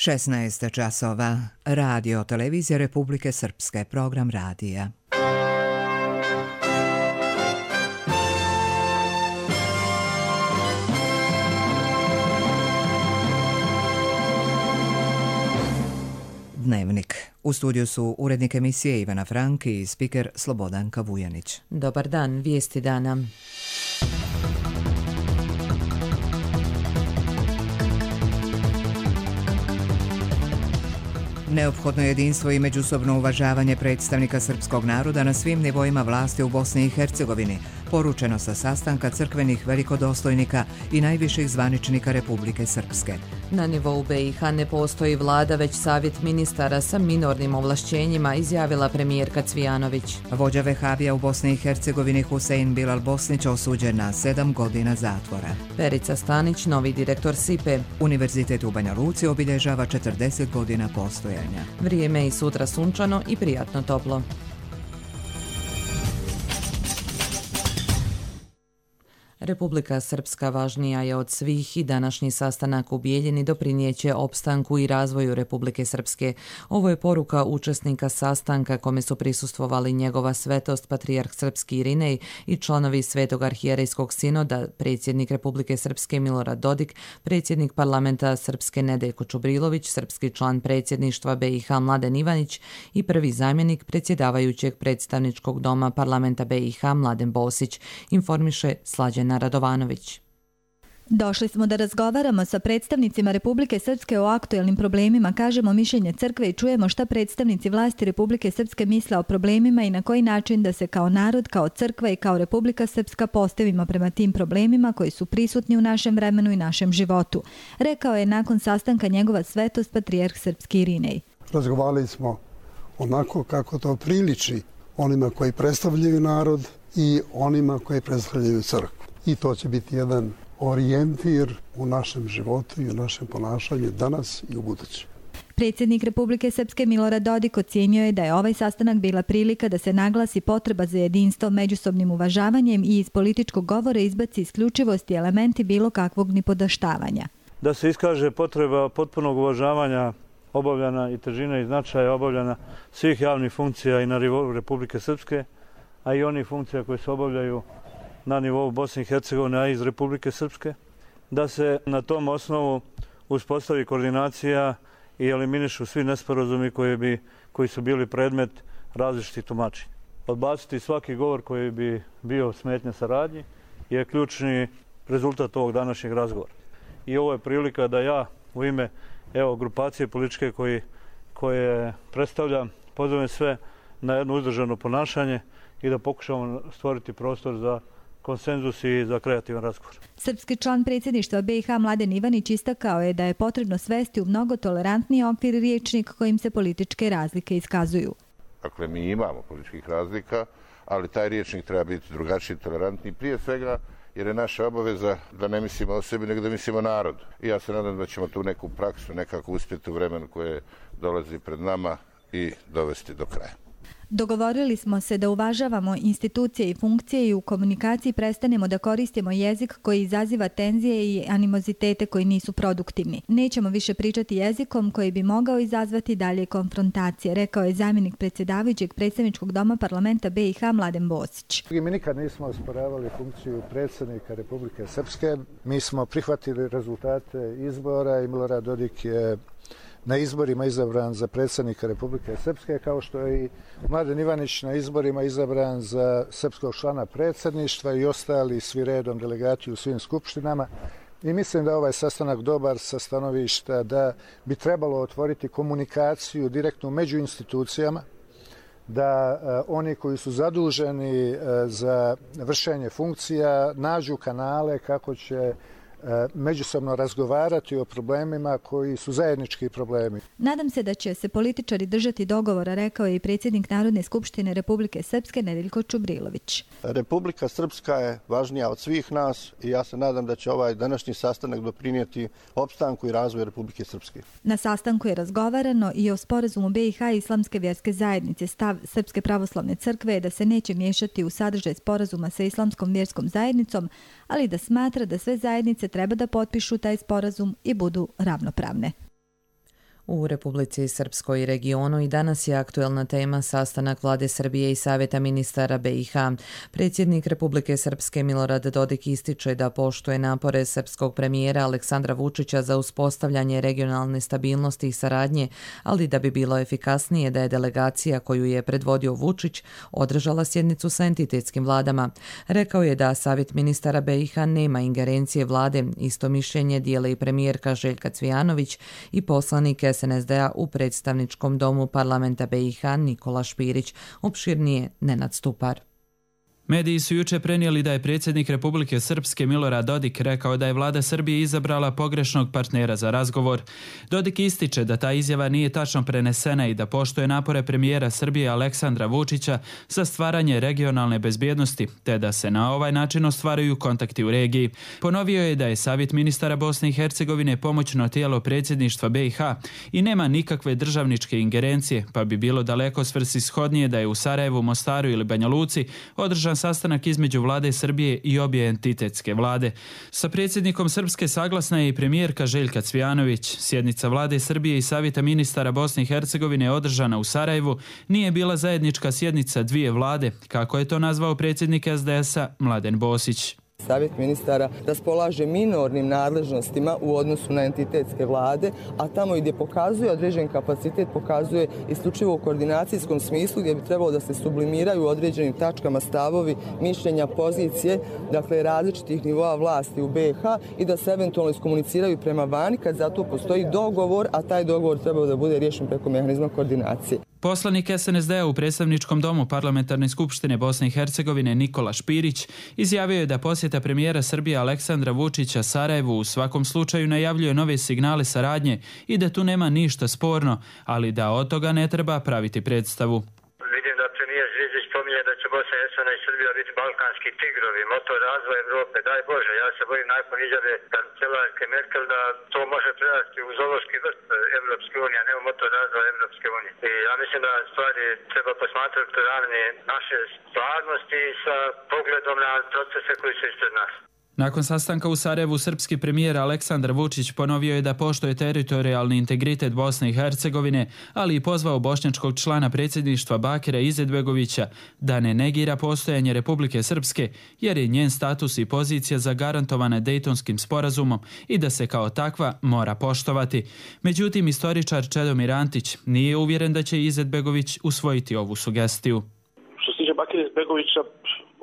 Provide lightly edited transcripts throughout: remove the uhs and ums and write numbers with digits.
16 časova. Radio Televizija Republike Srpske. Program radija. Dnevnik. U studiju su urednik emisije Ivana Franki i spiker Slobodanka Vujanić. Dobar dan, vijesti dana. Neophodno jedinstvo i međusobno uvažavanje predstavnika srpskog naroda na svim nivoima vlasti u Bosni i Hercegovini, poručeno sa sastanka crkvenih velikodostojnika i najviših zvaničnika Republike Srpske. Na nivou BiH ne postoji vlada, već savjet ministara sa minornim ovlašćenjima, izjavila premijerka Cvijanović. Vođa vehabija u Bosni i Hercegovini Husein Bilal Bosnić osuđen na 7 godina zatvora. Perica Stanić, novi direktor SIPE. Univerzitet u Banja Luci obilježava 40 godina postojanja. Vrijeme i sutra sunčano i prijatno toplo. Republika Srpska važnija je od svih i današnji sastanak u Bijeljini doprinijeće opstanku i razvoju Republike Srpske. Ovo je poruka učesnika sastanka kome su prisustvovali njegova svetost patrijarh Srpski Irinej i članovi Svetog arhijerejskog sinoda, predsjednik Republike Srpske Milorad Dodik, predsjednik parlamenta Srpske Nedeljko Čubrilović, srpski član predsjedništva BiH Mladen Ivanić i prvi zamjenik predsjedavajućeg predstavničkog doma parlamenta BiH Mladen Bosić, informiše Slađana Radovanović. Došli smo da razgovaramo sa predstavnicima Republike Srpske o aktuelnim problemima, kažemo mišljenje crkve i čujemo šta predstavnici vlasti Republike Srpske misle o problemima i na koji način da se kao narod, kao crkva i kao Republika Srpska postavimo prema tim problemima koji su prisutni u našem vremenu i našem životu, rekao je nakon sastanka njegova svetost patrijarh Srpski Irinej. Razgovarali smo onako kako to priliči onima koji predstavljaju narod i onima koji predstavljaju crkvu. I to će biti jedan orijentir u našem životu i u našem ponašanju danas i u buduće. Predsjednik Republike Srpske Milorad Dodik ocijenio je da je ovaj sastanak bila prilika da se naglasi potreba za jedinstvo, međusobnim uvažavanjem i iz političkog govora izbaci isključivost i elementi bilo kakvog nipodaštavanja. Da se iskaže potreba potpunog uvažavanja obavljana i težine i značaja obavljana svih javnih funkcija i na nivou Republike Srpske, a i onih funkcija koje se obavljaju na nivou Bosne i Hercegovine, a iz Republike Srpske, da se na tom osnovu uspostavi koordinacija i eliminišu svi nesporazumi koji su bili predmet različitih tumačenja. Odbaciti svaki govor koji bi bio smetnja saradnji je ključni rezultat ovog današnjeg razgovora. I ovo je prilika da ja u ime grupacije političke koje predstavljam pozovem sve na jedno uzdržano ponašanje i da pokušamo stvoriti prostor za konsenzus i za kreativan razgovor. Srpski član predsjedništva BiH Mladen Ivanić istakao je da je potrebno svesti u mnogo tolerantniji okvir riječnik kojim se političke razlike iskazuju. Dakle, mi imamo političkih razlika, ali taj riječnik treba biti drugačiji, tolerantniji. Prije svega, jer je naša obaveza da ne mislimo o sebi, nego da mislimo o narodu. I ja se nadam da ćemo tu neku praksu nekako uspjeti u vremenu koje dolazi pred nama i dovesti do kraja. Dogovorili smo se da uvažavamo institucije i funkcije i u komunikaciji prestanemo da koristimo jezik koji izaziva tenzije i animozitete koji nisu produktivni. Nećemo više pričati jezikom koji bi mogao izazvati dalje konfrontacije, rekao je zamjenik predsjedavajućeg predstavničkog doma parlamenta BiH Mladen Bosić. Mi nikad nismo osporavali funkciju predsjednika Republike Srpske. Mi smo prihvatili rezultate izbora i Milorad Dodik je na izborima izabran za predsjednika Republike Srpske, kao što je i Mladen Ivanić na izborima izabran za srpskog člana predsjedništva i ostali svi redom delegati u svim skupštinama. I mislim da je ovaj sastanak dobar sa stanovišta da bi trebalo otvoriti komunikaciju direktno među institucijama, da oni koji su zaduženi za vršenje funkcija nađu kanale kako će međusobno razgovarati o problemima koji su zajednički problemi. Nadam se da će se političari držati dogovora, rekao je i predsjednik Narodne skupštine Republike Srpske Nedeljko Čubrilović. Republika Srpska je važnija od svih nas i ja se nadam da će ovaj današnji sastanak doprinijeti opstanku i razvoju Republike Srpske. Na sastanku je razgovarano i o sporazumu BiH i Islamske vjerske zajednice. Stav Srpske pravoslavne crkve je da se neće miješati u sadržaj sporazuma sa Islamskom vjerskom zajednicom, ali da smatra da sve zajednice treba da potpišu taj sporazum i budu ravnopravne. U Republici Srpskoj i regionu i danas je aktuelna tema sastanak Vlade Srbije i Savjeta ministara BiH. Predsjednik Republike Srpske Milorad Dodik ističe da poštuje napore srpskog premijera Aleksandra Vučića za uspostavljanje regionalne stabilnosti i saradnje, ali da bi bilo efikasnije da je delegacija koju je predvodio Vučić održala sjednicu sa entitetskim vladama. Rekao je da Savjet ministara BiH nema ingerencije vlade, isto mišljenje dijele i premijerka Željka Cvijanović i poslanik SNSD-a u predstavničkom domu parlamenta BiH Nikola Špirić, opširnije Nenad Stupar. Mediji su juče prenijeli da je predsjednik Republike Srpske Milorad Dodik rekao da je vlada Srbije izabrala pogrešnog partnera za razgovor. Dodik ističe da ta izjava nije tačno prenesena i da poštuje napore premijera Srbije Aleksandra Vučića za stvaranje regionalne bezbjednosti, te da se na ovaj način ostvaruju kontakti u regiji. Ponovio je da je Savjet ministara Bosne i Hercegovine pomoćno tijelo predsjedništva BiH i nema nikakve državničke ingerencije, pa bi bilo daleko svrsishodnije da je u Sarajevu, Mostaru ili Banja Luci održan sastanak između vlade Srbije i obje entitetske vlade. Sa predsjednikom Srpske saglasna je i premijerka Željka Cvijanović. Sjednica vlade Srbije i Savjeta ministara Bosne i Hercegovine održana u Sarajevu nije bila zajednička sjednica dvije vlade, kako je to nazvao predsjednik SDS-a Mladen Bosić. Savjet ministara raspolaže minornim nadležnostima u odnosu na entitetske vlade, a tamo gdje pokazuje određen kapacitet, pokazuje isključivo u koordinacijskom smislu gdje bi trebalo da se sublimiraju u određenim tačkama stavovi, mišljenja, pozicije, dakle različitih nivoa vlasti u BiH i da se eventualno iskomuniciraju prema vani kad za to postoji dogovor, a taj dogovor trebao da bude riješen preko mehanizma koordinacije. Poslanik SNSD-a u predstavničkom domu Parlamentarne skupštine Bosne i Hercegovine Nikola Špirić izjavio je da posjeta premijera Srbije Aleksandra Vučića Sarajevu u svakom slučaju najavljuje nove signale saradnje i da tu nema ništa sporno, ali da od toga ne treba praviti predstavu. Vidim da premijer Zvizić spominje da će Bosna i Hercegovina i Srbija biti balkanski tigrovi, motor razvoja Evrope. Daj Bože, ja se bojim nakon izjave kancelarke Merkel da to može prerasti u zoološki vrt Evropske unije, a ne u motor razvoja Evropske unije. I ja mislim da stvari treba posmatrati ravne naše stvarnosti sa pogledom na procese koji su ispred nas. Nakon sastanka u Sarajevu, srpski premijer Aleksandar Vučić ponovio je da poštuje teritorijalni integritet Bosne i Hercegovine, ali i pozvao bošnjačkog člana predsjedništva Bakira Izetbegovića da ne negira postojanje Republike Srpske, jer je njen status i pozicija zagarantovana Dejtonskim sporazumom i da se kao takva mora poštovati. Međutim, istoričar Čedomir Antić nije uvjeren da će Izetbegović usvojiti ovu sugestiju. Što se tiče Bakira Izetbegovića,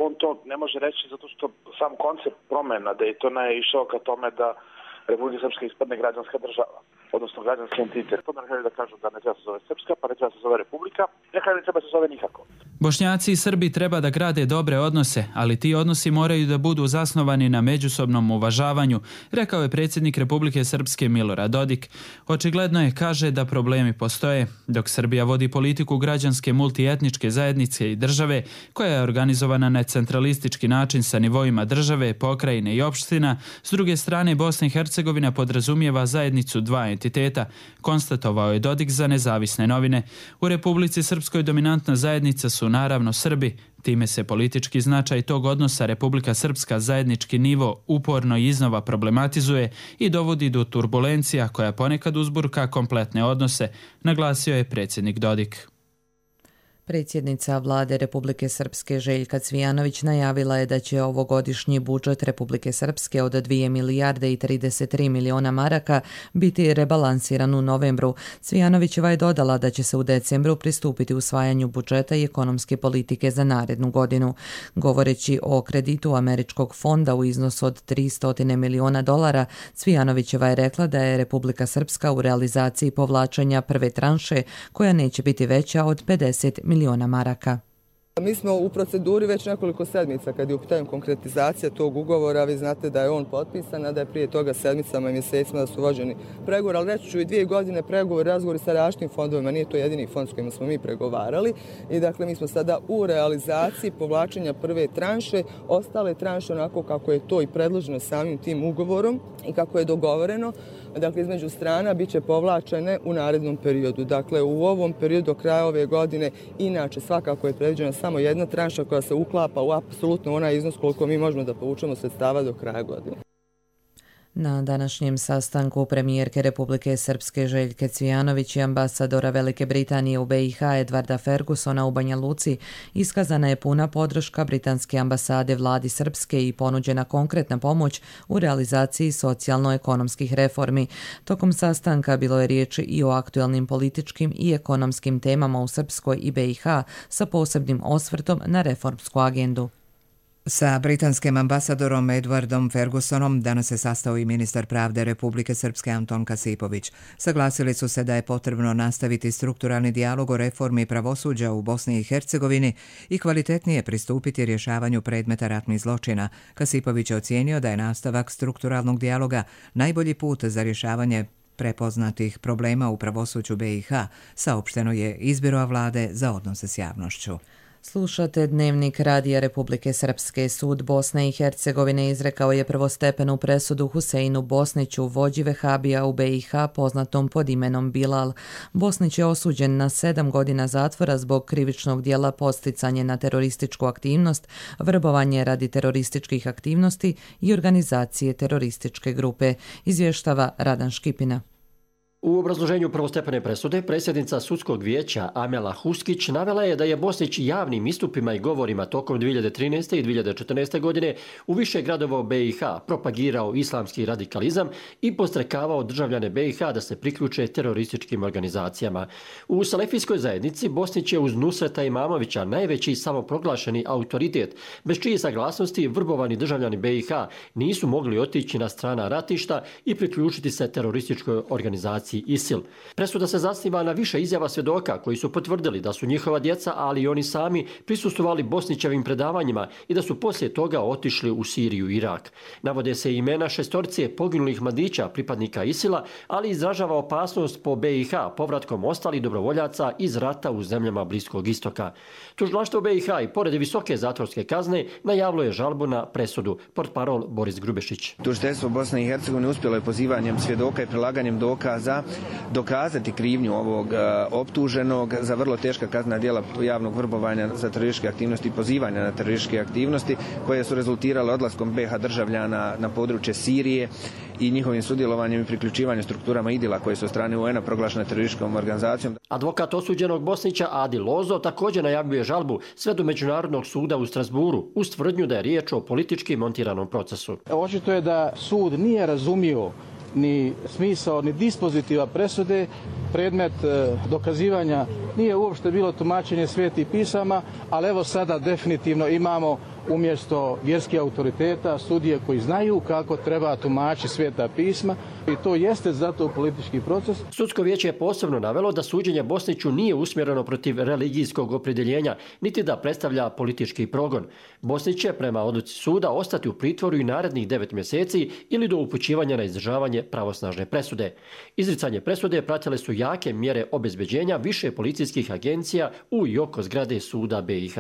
on to ne može reći zato što sam koncept promjena Dejtona je išao ka tome da Republika Srpska ispadne građanska država, odnosno građanski entitet. To ne želi da kažu da ne treba se zove Srpska, pa ne treba se zove Republika, nekada ne treba se zove nikako. Bošnjaci i Srbi treba da grade dobre odnose, ali ti odnosi moraju da budu zasnovani na međusobnom uvažavanju, rekao je predsjednik Republike Srpske Milorad Dodik. Očigledno je, kaže, da problemi postoje. Dok Srbija vodi politiku građanske multietničke zajednice i države, koja je organizovana na centralistički način sa nivoima države, pokrajine i opština, s druge strane Bosna i Hercegovina podrazumijeva zajednicu dva entiteta, konstatovao je Dodik za Nezavisne novine. U Republici Srpskoj dominantna zajednica su naravno Srbi, time se politički značaj tog odnosa Republika Srpska zajednički nivo uporno i iznova problematizuje i dovodi do turbulencija koja ponekad uzburka kompletne odnose, naglasio je predsjednik Dodik. Predsjednica vlade Republike Srpske Željka Cvijanović najavila je da će ovogodišnji budžet Republike Srpske od 2 milijarde i 33 miliona maraka biti rebalansiran u novembru. Cvijanovićeva je dodala da će se u decembru pristupiti usvajanju budžeta i ekonomske politike za narednu godinu. Govoreći o kreditu Američkog fonda u iznosu od $300 miliona, Cvijanovićeva je rekla da je Republika Srpska u realizaciji povlačenja prve tranše koja neće biti veća od 50 miliona maraka. Mi smo u proceduri već nekoliko sedmica kad je u pitanju konkretizacija tog ugovora. Vi znate da je on potpisan, a da je prije toga sedmicama i mjesecima da su vođeni pregovori, ali reći ću i 2 godine pregovori, razgovori sa različitim fondovima, nije to jedini fond s kojima smo mi pregovarali. I dakle, mi smo sada u realizaciji povlačenja prve tranše, ostale tranše onako kako je to i predloženo samim tim ugovorom i kako je dogovoreno. Dakle, između strana bit će povlačene u narednom periodu. Dakle, u ovom periodu do kraja ove godine, inače svakako je predviđena samo jedna tranša koja se uklapa u apsolutno onaj iznos koliko mi možemo da povučemo sredstava do kraja godine. Na današnjem sastanku premijerke Republike Srpske Željke Cvijanović i ambasadora Velike Britanije u BiH Edvarda Fergusona u Banja Luci iskazana je puna podrška britanske ambasade vladi Srpske i ponuđena konkretna pomoć u realizaciji socijalno-ekonomskih reformi. Tokom sastanka bilo je riječi i o aktuelnim političkim i ekonomskim temama u Srpskoj i BiH sa posebnim osvrtom na reformsku agendu. Sa britanskim ambasadorom Edwardom Fergusonom danas se sastao i ministar pravde Republike Srpske Anton Kasipović. Saglasili su se da je potrebno nastaviti strukturalni dijalog o reformi pravosuđa u Bosni i Hercegovini i kvalitetnije pristupiti rješavanju predmeta ratnih zločina. Kasipović je ocijenio da je nastavak strukturalnog dijaloga najbolji put za rješavanje prepoznatih problema u pravosuđu BiH, saopšteno je iz Biroa vlade za odnose s javnošću. Slušate Dnevnik Radija Republike Srpske. Sud Bosne i Hercegovine izrekao je prvostepenu presudu Huseinu Bosniću, vođi vehabija u BiH poznatom pod imenom Bilal. Bosnić je osuđen na 7 godina zatvora zbog krivičnog djela podsticanje na terorističku aktivnost, vrbovanje radi terorističkih aktivnosti i organizacije terorističke grupe, izvještava Radan Škipina. U obrazloženju prvostepene presude predsjednica sudskog vijeća Amela Huskić navela je da je Bosnić javnim istupima i govorima tokom 2013. i 2014. godine u više gradova u BiH propagirao islamski radikalizam i podstrekavao državljane BiH da se priključe terorističkim organizacijama. U salefijskoj zajednici Bosnić je uz Nusreta Imamovića najveći samoproglašeni autoritet, bez čije saglasnosti vrbovani državljani BiH nisu mogli otići na strana ratišta i priključiti se terorističkoj organizaciji ISIL. Presuda se zasniva na više izjava svjedoka koji su potvrdili da su njihova djeca, ali i oni sami, prisustvovali Bosnićevim predavanjima i da su poslije toga otišli u Siriju i Irak. Navode se imena 6 poginulih mladića pripadnika ISIL-a, ali izražava opasnost po BiH povratkom ostalih dobrovoljaca iz rata u zemljama Bliskog istoka. Tužilaštvo BiH i pored visoke zatvorske kazne najavilo je žalbu na presudu. Portparol Boris Grubešić. Tužiteljstvo Bosne i Hercegovine uspjelo je pozivanjem svjedoka i prilaganjem dokaza dokazati krivnju ovog optuženog za vrlo teška kaznena djela javnog vrbovanja za terorističke aktivnosti i pozivanja na terorističke aktivnosti koje su rezultirale odlaskom BiH državljana na područje Sirije i njihovim sudjelovanjem i priključivanjem strukturama IDIL-a koje su od strane UN-a proglašene terorističkom organizacijom. Advokat osuđenog Bosnića Adi Lozo također najavljuje žalbu sve do Međunarodnog suda u Strasburu uz tvrdnju da je riječ o politički montiranom procesu. Očito je da sud nije razumio ni smisao, ni dispozitiva presude. Predmet dokazivanja nije uopšte bilo tumačenje svetih pisama, ali evo sada definitivno imamo umjesto vjerskih autoriteta sudije koji znaju kako treba tumačiti sveta pisma i to jeste zato politički proces. Sudsko vijeće je posebno navelo da suđenje Bosniću nije usmjereno protiv religijskog opredjeljenja, niti da predstavlja politički progon. Bosnić će prema odluci suda ostati u pritvoru i narednih 9 mjeseci ili do upućivanja na izdržavanje pravosnažne presude. Izricanje presude pratile su jake mjere obezbeđenja više policijskih agencija u i oko zgrade suda BiH.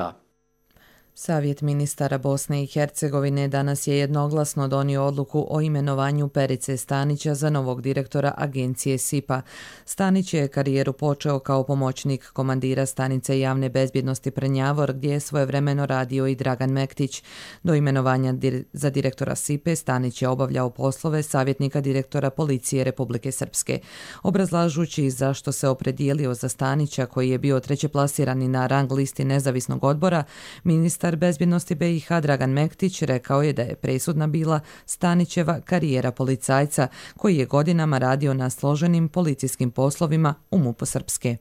Savjet ministara Bosne i Hercegovine danas je jednoglasno donio odluku o imenovanju Perice Stanića za novog direktora agencije SIPA. Stanić je karijeru počeo kao pomoćnik komandira stanice javne bezbjednosti Prnjavor, gdje je svojevremeno radio i Dragan Mektić. Do imenovanja za direktora SIPE Stanić je obavljao poslove savjetnika direktora policije Republike Srpske. Obrazlažući zašto se opredijelio za Stanića, koji je bio trećeplasirani na rang listi nezavisnog odbora, ministar bezbjednosti BiH Dragan Mektić rekao je da je presudna bila Stanićeva karijera policajca koji je godinama radio na složenim policijskim poslovima u MUP-u Srpske.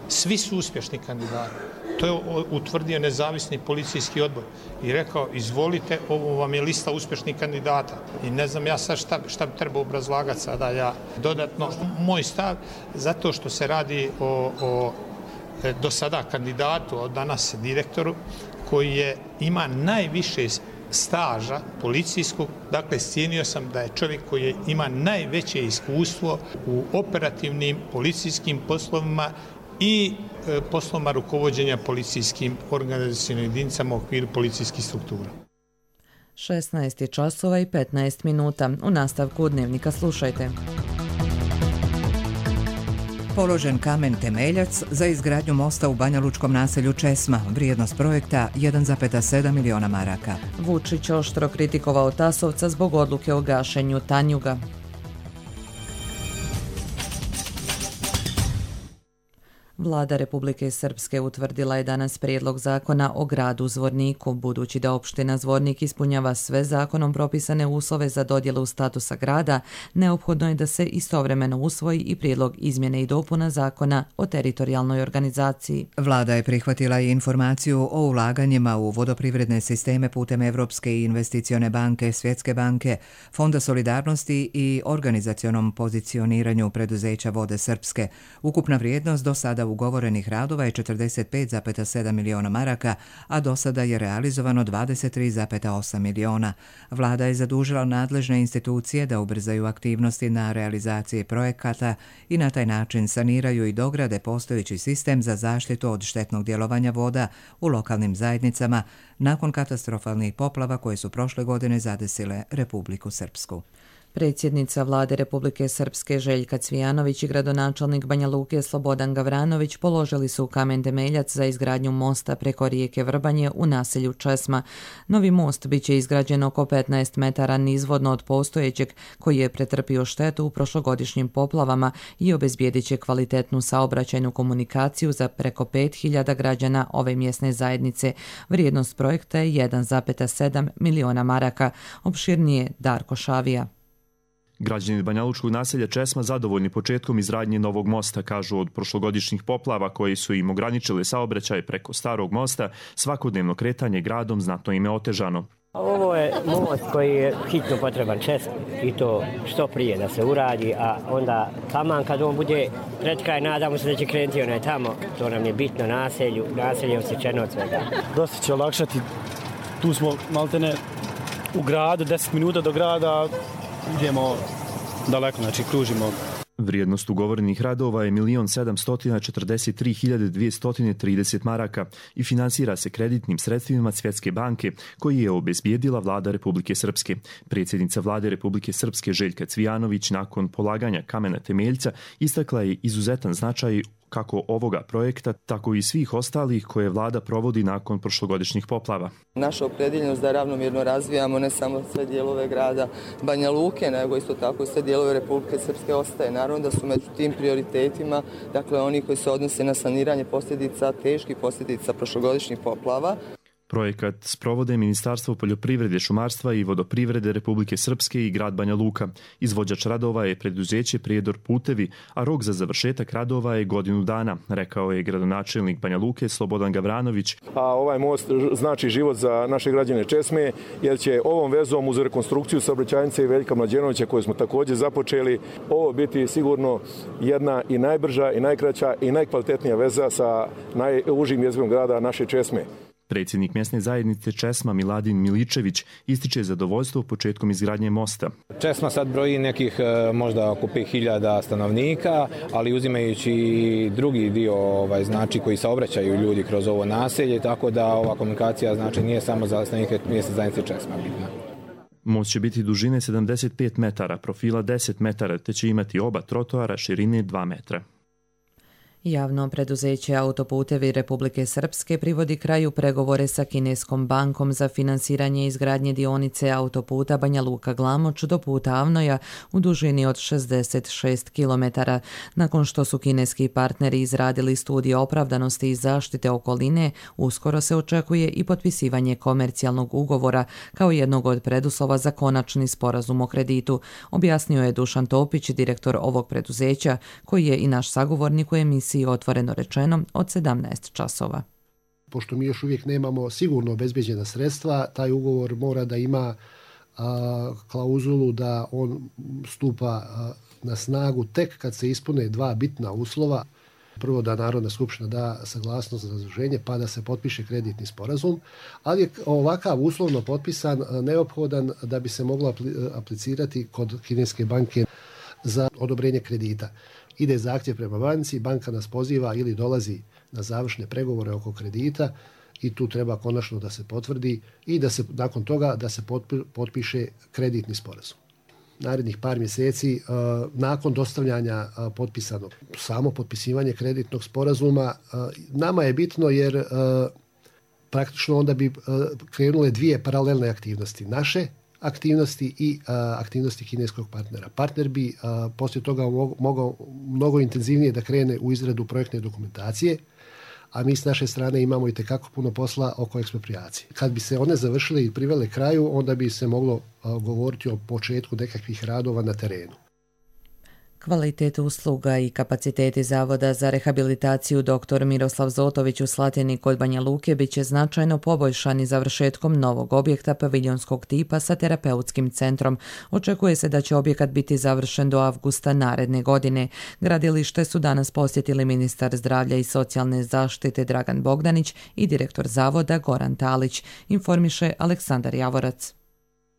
Svi su uspješni kandidati. To je utvrdio nezavisni policijski odbor i rekao izvolite, ovo vam je lista uspješnih kandidata. I ne znam ja sad šta bi trebao obrazlagati sada ja dodatno. Moj stav, zato što se radi o do sada kandidatu, od danas direktoru, koji ima najviše staža policijskog, dakle cijenio sam da je čovjek koji ima najveće iskustvo u operativnim policijskim poslovima i poslovima rukovođenja policijskim organizacijskim jedinicama u okviru policijskih struktura. 16:15. U nastavku Dnevnika slušajte. Položen kamen temeljac za izgradnju mosta u banjalučkom naselju Česma. Vrijednost projekta 1,7 miliona maraka. Vučić oštro kritikovao Tasovca zbog odluke o gašenju Tanjuga. Vlada Republike Srpske utvrdila je danas prijedlog zakona o gradu Zvorniku. Budući da opština Zvornik ispunjava sve zakonom propisane uslove za dodjelu statusa grada, neophodno je da se istovremeno usvoji i prijedlog izmjene i dopuna zakona o teritorijalnoj organizaciji. Vlada je prihvatila i informaciju o ulaganjima u vodoprivredne sisteme putem Evropske investicione banke, Svjetske banke, Fonda solidarnosti i organizacionom pozicioniranju preduzeća Vode Srpske. Ukupna vrijednost do sada ugovorenih radova je 45,7 miliona maraka, a do sada je realizovano 23,8 miliona. Vlada je zadužila nadležne institucije da ubrzaju aktivnosti na realizaciji projekata i na taj način saniraju i dograde postojeći sistem za zaštitu od štetnog djelovanja voda u lokalnim zajednicama nakon katastrofalnih poplava koje su prošle godine zadesile Republiku Srpsku. Predsjednica Vlade Republike Srpske Željka Cvijanović i gradonačelnik Banja Luke Slobodan Gavranović položili su kamen temeljac za izgradnju mosta preko rijeke Vrbanje u naselju Česma. Novi most biće izgrađen oko 15 metara nizvodno od postojećeg, koji je pretrpio štetu u prošlogodišnjim poplavama i obezbijedit će kvalitetnu saobraćajnu komunikaciju za preko 5.000 građana ove mjesne zajednice. Vrijednost projekta je 1,7 miliona maraka. Opširnije Darko Šavija. Građani banjalučkog naselja Česma zadovoljni početkom izgradnje novog mosta, kažu od prošlogodišnjih poplava koji su im ograničili saobraćaj preko starog mosta, svakodnevno kretanje gradom znatno im je otežano. Ovo je most koji je hitno potreban Česmi i to što prije da se uradi, a onda taman kad on bude pred kraj, nadamo se da će krenuti onaj tamo, to nam je bitno naselje osjećeno od svega. Dosta će olakšati, tu smo maltene u gradu, 10 minuta do grada, idemo daleko, znači kružimo. Vrijednost ugovorenih radova je 1.743.230 maraka i finansira se kreditnim sredstvima Svjetske banke koji je obezbijedila Vlada Republike Srpske. Predsjednica Vlade Republike Srpske Željka Cvijanović nakon polaganja kamena temeljca istakla je izuzetan značaj kako ovoga projekta, tako i svih ostalih koje vlada provodi nakon prošlogodišnjih poplava. Naša opredjeljenost da ravnomjerno razvijamo ne samo sve dijelove grada Banja Luke, nego isto tako i sve dijelove Republike Srpske ostaje. Naravno da su među tim prioritetima, dakle oni koji se odnose na saniranje posljedica, teških posljedica prošlogodišnjih poplava. Projekat sprovode Ministarstvo poljoprivrede, šumarstva i vodoprivrede Republike Srpske i grad Banja Luka. Izvođač radova je preduzeće Prijedor putevi, a rok za završetak radova je godinu dana, rekao je gradonačelnik Banja Luke Slobodan Gavranović. A ovaj most znači život za naše građane Česme, jer će ovom vezom uz rekonstrukciju saobraćajnice Veljka Mlađenovića koju smo također započeli, ovo biti sigurno jedna i najbrža i najkraća i najkvalitetnija veza sa najužim jezgrom grada naše Česme. Predsjednik mjesne zajednice Česma Miladin Miličević ističe zadovoljstvo početkom izgradnje mosta. Česma sad broji nekih možda oko 5.000 stanovnika, ali uzimajući drugi dio znači koji saobraćaju ljudi kroz ovo naselje, tako da ova komunikacija znači nije samo za stanovnike mjesne zajednice Česma bitna. Most će biti dužine 75 metara, profila 10 metara, te će imati oba trotoara širine 2 metra. Javno preduzeće Autoputevi Republike Srpske privodi kraju pregovore sa kineskom bankom za finansiranje izgradnje dionice autoputa Banja Luka-Glamoč do puta Avnoja u dužini od 66 km. Nakon što su kineski partneri izradili studije opravdanosti i zaštite okoline, uskoro se očekuje i potpisivanje komercijalnog ugovora kao jednog od preduslova za konačni sporazum o kreditu, objasnio je Dušan Topić, direktor ovog preduzeća, koji je i naš sagovornik u emisiji Otvoreno rečeno od 17 časova. Pošto mi još uvijek nemamo sigurno obezbeđena sredstva, taj ugovor mora da ima klauzulu da on stupa na snagu tek kad se ispune dva bitna uslova. Prvo da Narodna skupština da saglasnost za zaduženje pa da se potpiše kreditni sporazum, ali je ovakav uslovno potpisan neophodan da bi se moglo aplicirati kod kineske banke za odobrenje kredita. Ide zahtjev prema banci, banka nas poziva ili dolazi na završne pregovore oko kredita i tu treba konačno da se potvrdi i da se nakon toga da se potpiše kreditni sporazum. narednih par mjeseci nakon dostavljanja potpisanog. Samo potpisivanje kreditnog sporazuma nama je bitno jer praktično onda bi krenule dvije paralelne aktivnosti. Naše aktivnosti i aktivnosti kineskog partnera. Partner bi poslije toga mogao mnogo intenzivnije da krene u izradu projektne dokumentacije, a mi s naše strane imamo i tekako puno posla oko eksproprijacije. Kad bi se one završile i privele kraju, onda bi se moglo govoriti o početku nekakvih radova na terenu. Kvalitet usluga i kapaciteti Zavoda za rehabilitaciju dr. Miroslav Zotović u Slatini kod Banja Luke bit će značajno poboljšani završetkom novog objekta paviljonskog tipa sa terapeutskim centrom. Očekuje se da će objekat biti završen do avgusta naredne godine. Gradilište su danas posjetili ministar zdravlja i socijalne zaštite Dragan Bogdanić i direktor Zavoda Goran Talić, informiše Aleksandar Javorac.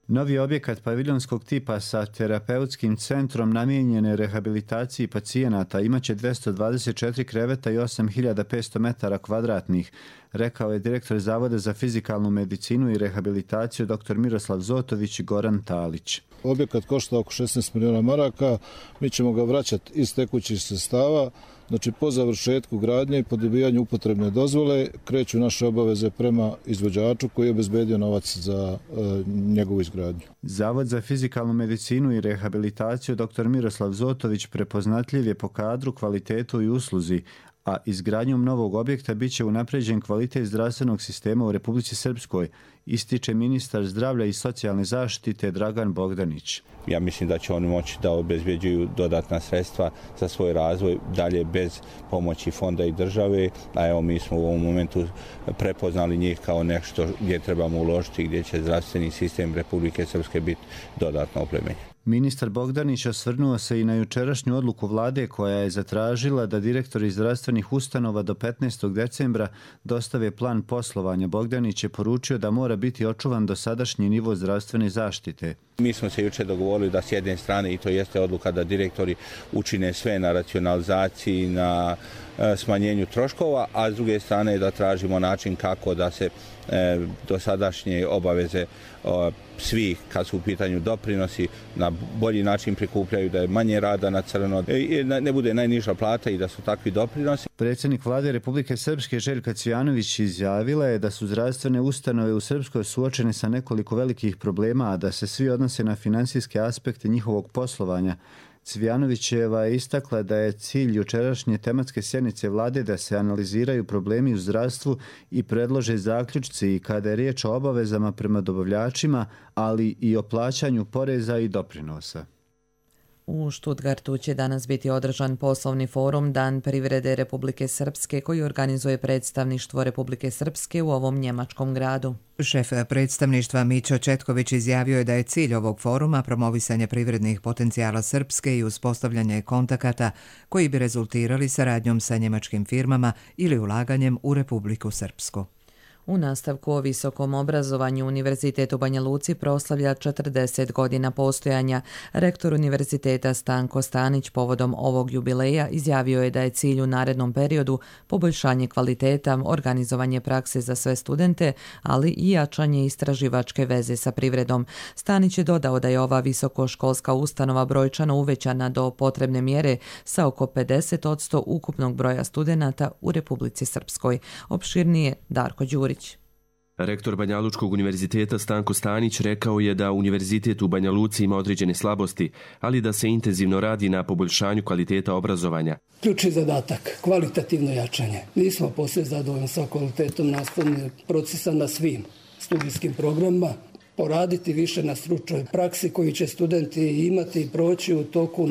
Novi objekat paviljonskog tipa sa terapeutskim centrom namijenjen je rehabilitaciji pacijenata imaće 224 kreveta i 8500 metara kvadratnih, rekao je direktor Zavoda za fizikalnu medicinu i rehabilitaciju dr. Miroslav Zotović i Goran Talić. Objekat košta oko 16 milijuna maraka, mi ćemo ga vraćati iz tekućih sredstava. Znači, po završetku gradnje i po dobijanju upotrebne dozvole kreću naše obaveze prema izvođaču koji je obezbedio novac za njegovu izgradnju. Zavod za fizikalnu medicinu i rehabilitaciju dr. Miroslav Zotović prepoznatljiv je po kadru, kvalitetu i usluzi, a izgradnjom novog objekta bit će unapređen kvalitet zdravstvenog sistema u Republici Srpskoj, ističe ministar zdravlja i socijalne zaštite Dragan Bogdanić. Ja mislim da će oni moći da obezbeđuju dodatna sredstva za svoj razvoj dalje bez pomoći fonda i države, a evo mi smo u ovom momentu prepoznali njih kao nešto gdje trebamo uložiti, gdje će zdravstveni sistem Republike Srpske biti dodatno oplemenjen. Ministar Bogdanić osvrnuo se i na jučerašnju odluku vlade koja je zatražila da direktori zdravstvenih ustanova do 15. decembra dostave plan poslovanja. Bogdanić je poručio da mora biti očuvan dosadašnji nivo zdravstvene zaštite. Mi smo se jučer dogovorili da s jedne strane, i to jeste odluka, da direktori učine sve na racionalizaciji, na smanjenju troškova, a s druge strane da tražimo način kako da se dosadašnje obaveze svih, kad su u pitanju doprinosi, na bolji način prikupljaju, da je manje rada na crno, ne bude najniža plata i da su takvi doprinosi. Predsjednik vlade Republike Srpske Željka Cvijanović izjavila je da su zdravstvene ustanove u Srpskoj suočene sa nekoliko velikih problema, a da se svi odnose na finansijske aspekte njihovog poslovanja. Cvijanovićeva je istakla da je cilj jučerašnje tematske sjednice vlade da se analiziraju problemi u zdravstvu i predlože zaključci i kada je riječ o obavezama prema dobavljačima, ali i o plaćanju poreza i doprinosa. U Stuttgartu će danas biti održan poslovni forum Dan privrede Republike Srpske koji organizuje predstavništvo Republike Srpske u ovom njemačkom gradu. Šef predstavništva Mićo Četković izjavio je da je cilj ovog foruma promovisanje privrednih potencijala Srpske i uspostavljanje kontakata koji bi rezultirali saradnjom sa njemačkim firmama ili ulaganjem u Republiku Srpsku. U nastavku o visokom obrazovanju Univerzitet u Banja Luci proslavlja 40 godina postojanja. Rektor univerziteta Stanko Stanić povodom ovog jubileja izjavio je da je cilj u narednom periodu poboljšanje kvaliteta, organizovanje prakse za sve studente, ali i jačanje istraživačke veze sa privredom. Stanić je dodao da je ova visokoškolska ustanova brojčano uvećana do potrebne mjere sa oko 50% ukupnog broja studenata u Republici Srpskoj. Opširnije Darko Đurić. Rektor Banjalučkog univerziteta Stanko Stanić rekao je da univerzitet u Banja Luci ima određene slabosti, ali da se intenzivno radi na poboljšanju kvaliteta obrazovanja. Ključni zadatak, kvalitativno jačanje. Nismo posve zadovoljni sa kvalitetom nastavnog procesa na svim studijskim programima, poraditi više na stručnoj praksi koju će studenti imati i proći u toku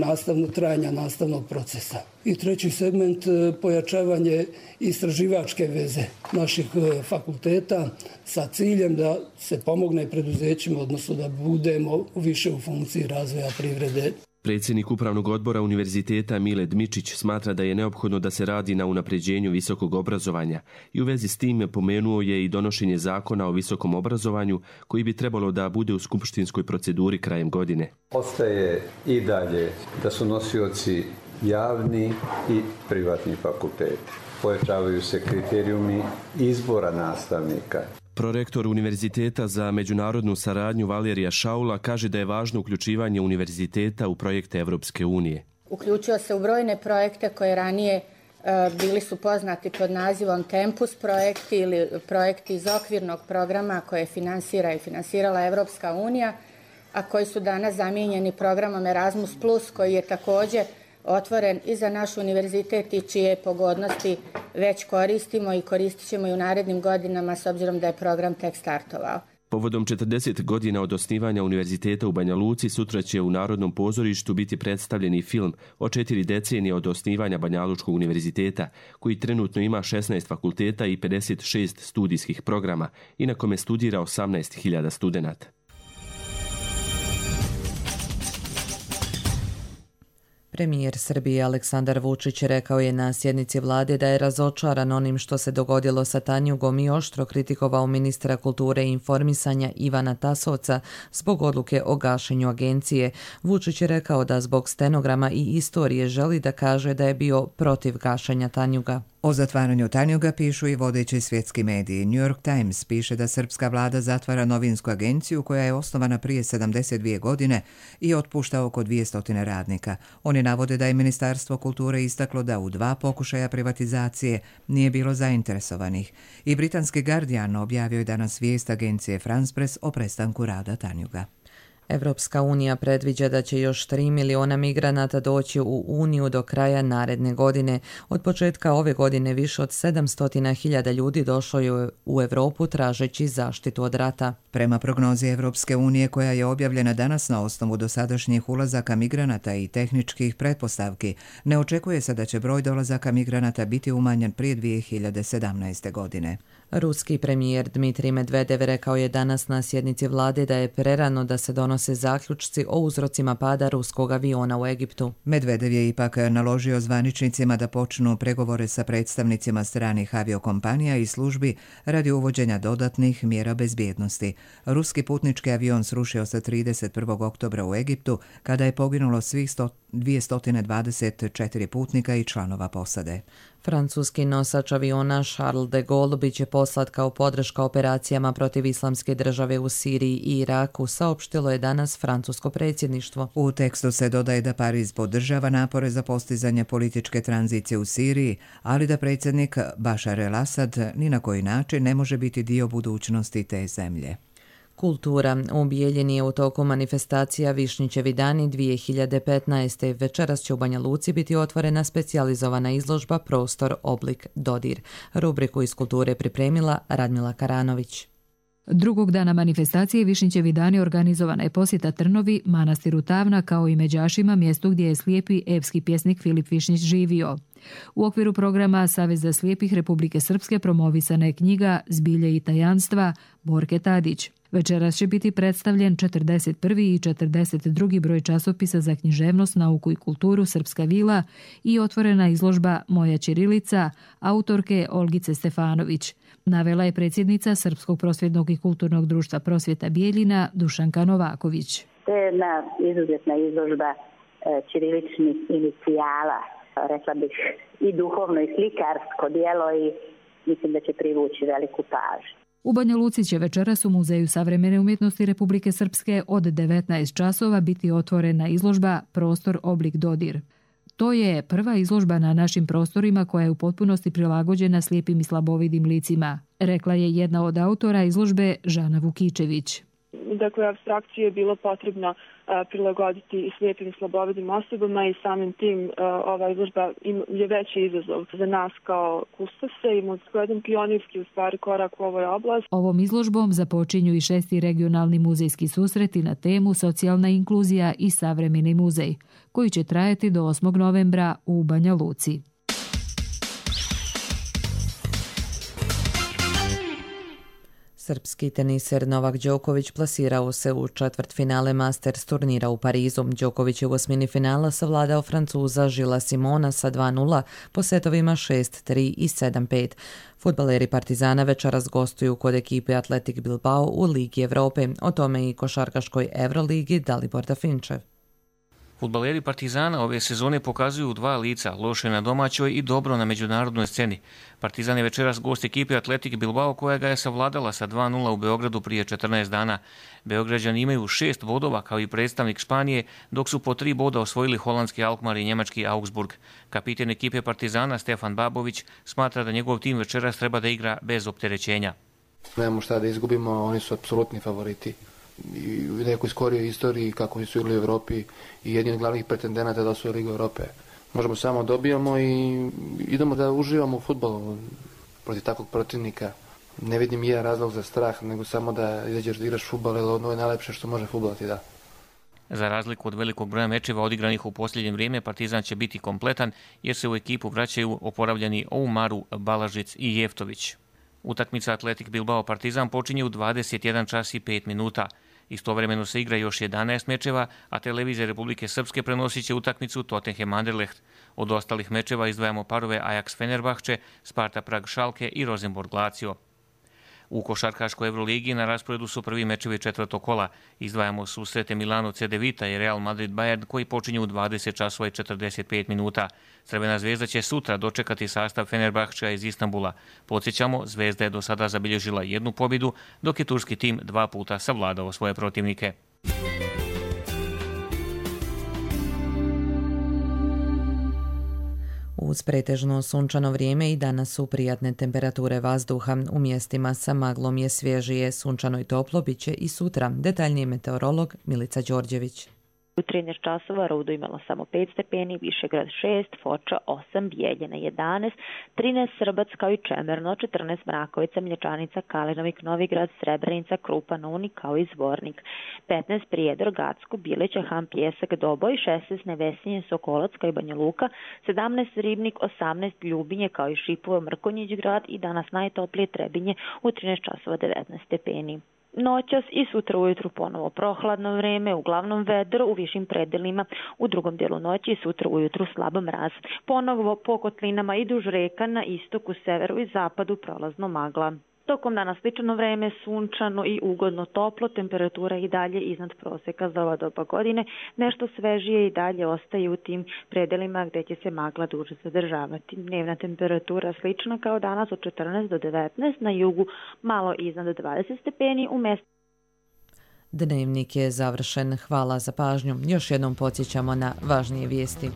trajanja nastavnog procesa. I treći segment, pojačavanje istraživačke veze naših fakulteta sa ciljem da se pomogne preduzećima, odnosno da budemo više u funkciji razvoja privrede. Predsjednik Upravnog odbora univerziteta Mile Dmičić smatra da je neophodno da se radi na unapređenju visokog obrazovanja i u vezi s tim pomenuo je i donošenje zakona o visokom obrazovanju koji bi trebalo da bude u skupštinskoj proceduri krajem godine. Ostaje i dalje da su nosioci javni i privatni fakulteti. Pojačavaju se kriterijumi izbora nastavnika. Prorektor Univerziteta za međunarodnu saradnju Valerija Šaula kaže da je važno uključivanje univerziteta u projekte Evropske unije. Uključio se u brojne projekte koje ranije bili su poznati pod nazivom Tempus projekti ili projekti iz okvirnog programa koje finansirala Evropska unija, a koji su danas zamijenjeni programom Erasmus+, koji je također otvoren i za naš univerzitet i čije pogodnosti već koristimo i koristit ćemo i u narednim godinama s obzirom da je program tek startovao. Povodom 40 godina od osnivanja univerziteta u Banja Luci sutra će u Narodnom pozorištu biti predstavljeni film o 4 decenije od osnivanja Banjalučkog univerziteta, koji trenutno ima 16 fakulteta i 56 studijskih programa i na kome studira 18.000 studenata. Premijer Srbije Aleksandar Vučić rekao je na sjednici vlade da je razočaran onim što se dogodilo sa Tanjugom i oštro kritikovao ministra kulture i informisanja Ivana Tasovca zbog odluke o gašenju agencije. Vučić je rekao da zbog stenograma i istorije želi da kaže da je bio protiv gašenja Tanjuga. O zatvaranju Tanjuga pišu i vodeći svjetski mediji. New York Times piše da srpska vlada zatvara novinsku agenciju koja je osnovana prije 72 godine i otpušta oko 200 radnika. Oni navode da je Ministarstvo kulture istaklo da u 2 pokušaja privatizacije nije bilo zainteresovanih. I britanski Guardian objavio je danas vijest agencije France Press o prestanku rada Tanjuga. Evropska unija predviđa da će još 3 miliona migranata doći u Uniju do kraja naredne godine. Od početka ove godine više od 700.000 ljudi došlo je u Europu tražeći zaštitu od rata. Prema prognozi Evropske unije koja je objavljena danas na osnovu dosadašnjih ulazaka migranata i tehničkih pretpostavki, ne očekuje se da će broj dolazaka migranata biti umanjen prije 2017. godine. Ruski premijer Dmitrij Medvedev rekao je danas na sjednici vlade da je prerano da se donose zaključci o uzrocima pada ruskog aviona u Egiptu. Medvedev je ipak naložio zvaničnicima da počnu pregovore sa predstavnicima stranih aviokompanija i službi radi uvođenja dodatnih mjera bezbjednosti. Ruski putnički avion srušio se 31. oktobra u Egiptu kada je poginulo svih 224 putnika i članova posade. Francuski nosač aviona Charles de Gaulle biće poslat kao podrška operacijama protiv Islamske države u Siriji i Iraku, saopštilo je danas francusko predsjedništvo. U tekstu se dodaje da Pariz podržava napore za postizanje političke tranzicije u Siriji, ali da predsjednik Bashar el-Assad ni na koji način ne može biti dio budućnosti te zemlje. Kultura. U Bijeljini je u toku manifestacija Višnjićevi dani 2015. Večeras će u Banja Luci biti otvorena specijalizovana izložba Prostor, oblik, dodir. Rubriku iz kulture pripremila Radmila Karanović. Drugog dana manifestacije Višnjićevi dani organizovana je posjeta Trnovi, manastiru Tavna kao i Međašima, mjestu gdje je slijepi epski pjesnik Filip Višnjić živio. U okviru programa Saveza slijepih Republike Srpske promovisana je knjiga Zbilje i tajanstva Borke Tadić. Večeras će biti predstavljen 41. i 42. broj časopisa za književnost, nauku i kulturu Srpska vila i otvorena izložba Moja ćirilica autorke Olgice Stefanović. Navela je predsjednica Srpskog prosvjetnog i kulturnog društva Prosvjeta Bijeljina Dušanka Novaković. To je jedna izuzetna izložba ćiriličnih inicijala, rekla bih i duhovno i slikarsko djelo i mislim da će privući veliku pažnju. U Banja Luci će večeras u Muzeju savremene umjetnosti Republike Srpske od 19 časova biti otvorena izložba Prostor, oblik, dodir. To je prva izložba na našim prostorima koja je u potpunosti prilagođena slijepim i slabovidim licima, rekla je jedna od autora izložbe Žana Vukičević. Dakle, apstrakciju je bilo potrebno prilagoditi i slijepim i slabovidim osobama i samim tim ova izložba je veći izazov za nas kao kustose i jedan pionirski u stvari korak u ovoj oblasti. Ovom izložbom započinju i 6. regionalni muzejski susreti na temu Socijalna inkluzija i savremeni muzej, koji će trajati do 8. novembra u Banja Luci. Srpski teniser Novak Đoković plasirao se u četvrtfinale Masters turnira u Parizu. Đoković je u osmini finala savladao Francuza Žila Simona sa 2:0 po setovima 6-3 i 7-5. Fudbaleri Partizana večeras gostuju kod ekipe Atletik Bilbao u Ligi Evrope. O tome i košarkaškoj Euroligi Dalibor Dafinčev. Fudbaleri Partizana ove sezone pokazuju dva lica, loše na domaćoj i dobro na međunarodnoj sceni. Partizan je večeras gost ekipe Atletik Bilbao koja ga je savladala sa 2:0 u Beogradu prije 14 dana. Beograđani imaju 6 bodova kao i predstavnik Španije, dok su po 3 boda osvojili holandski Alkmaar i njemački Augsburg. Kapiten ekipe Partizana Stefan Babović smatra da njegov tim večeras treba da igra bez opterećenja. Nemamo šta da izgubimo, oni su apsolutni favoriti. I u nekoj skorijoj istoriji kako su igrali u Evropi i jedni od glavnih pretendenata da osvoje Ligu Evrope. Možemo samo dobijamo i idemo da uživamo u fudbalu protiv takvog protivnika. Ne vidim jedan razlog za strah, nego samo da izađeš da igraš fudbal, jer ono je najlepše što može fudbal ti da. Za razliku od velikog broja mečeva odigranih u posljednje vrijeme, Partizan će biti kompletan jer se u ekipu vraćaju oporavljeni Oumaru, Balažic i Jeftović. Utakmica Atletik Bilbao Partizan počinje u 21 čas i 5 minuta. Istovremeno se igra još 11 mečeva, a televizija Republike Srpske prenosit će utakmicu Tottenham Anderlecht. Od ostalih mečeva izdvajamo parove Ajax Fenerbahče, Sparta Prag Schalke i Rosenborg Lazio. U košarkaškoj Evroligi na rasporedu su prvi mečevi četvrtog kola. Izdvajamo susrete Milano Cedevita i Real Madrid Bayern koji počinju u 20 časova i 45 minuta. Crvena zvezda će sutra dočekati sastav Fenerbahča iz Istanbula. Podsjećamo, Zvezda je do sada zabilježila 1 pobjedu, dok je turski tim 2 puta savladao svoje protivnike. Uz pretežno sunčano vrijeme i danas su prijatne temperature vazduha. U mjestima sa maglom je svježije, sunčano i toplo bit će i sutra. Detaljniji meteorolog Milica Đorđević. U 13 časova Rudo imala samo 5 stepeni, Višegrad 6, Foča 8, Bijeljina 11, 13 Srbac kao i Čemerno, 14 Mrakovica, Mlječanica, Kalinovik, Novigrad, Srebrenica, Krupa, Novni kao i Zvornik, 15 Prijedor, Gacko, Bileća, Han, Pjesak, Doboj, 16 Nevesinje, Sokolac kao i Banja Luka, 17 Ribnik, 18 Ljubinje kao i Šipovo, Mrkonjić grad i danas najtoplije Trebinje u 13 časova 19 stepeni. Noćas i sutra ujutru ponovo prohladno vrijeme, uglavnom vedro u višim predelima, u drugom dijelu noći i sutra ujutru slab mraz. Ponovo po kotlinama i duž reka na istoku, severu i zapadu prolazno magla. Tokom dana slično vrijeme, sunčano i ugodno toplo, temperatura i dalje iznad prosjeka za ova doba godine, nešto svežije i dalje ostaje u tim predelima gdje će se magla duže zadržavati. Dnevna temperatura slična kao danas od 14 do 19, na jugu malo iznad 20 stepeni, u mjestu. Dnevnik je završen. Hvala za pažnju. Još jednom podsjećamo na važnije vijesti.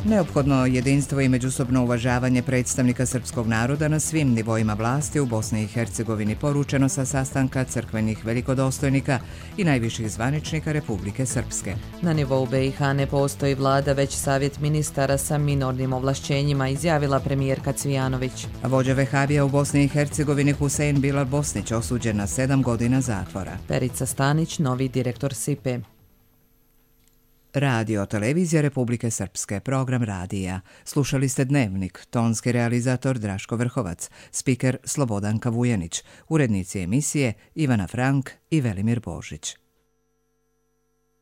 Neophodno jedinstvo i međusobno uvažavanje predstavnika srpskog naroda na svim nivoima vlasti u Bosni i Hercegovini poručeno sa sastanka crkvenih velikodostojnika i najviših zvaničnika Republike Srpske. Na nivou BiH ne postoji vlada, već savjet ministara sa minornim ovlašćenjima, izjavila premijerka Cvijanović. Vođa vehabija u Bosni i Hercegovini Husein Bilal Bosnić osuđen na 7 godina zatvora. Perica Stanić, novi direktor SIPE. Radio televizija Republike Srpske, program radija. Slušali ste Dnevnik, tonski realizator Draško Vrhovac, spiker Slobodanka Vujanić, urednici emisije Ivana Frank i Velimir Božić.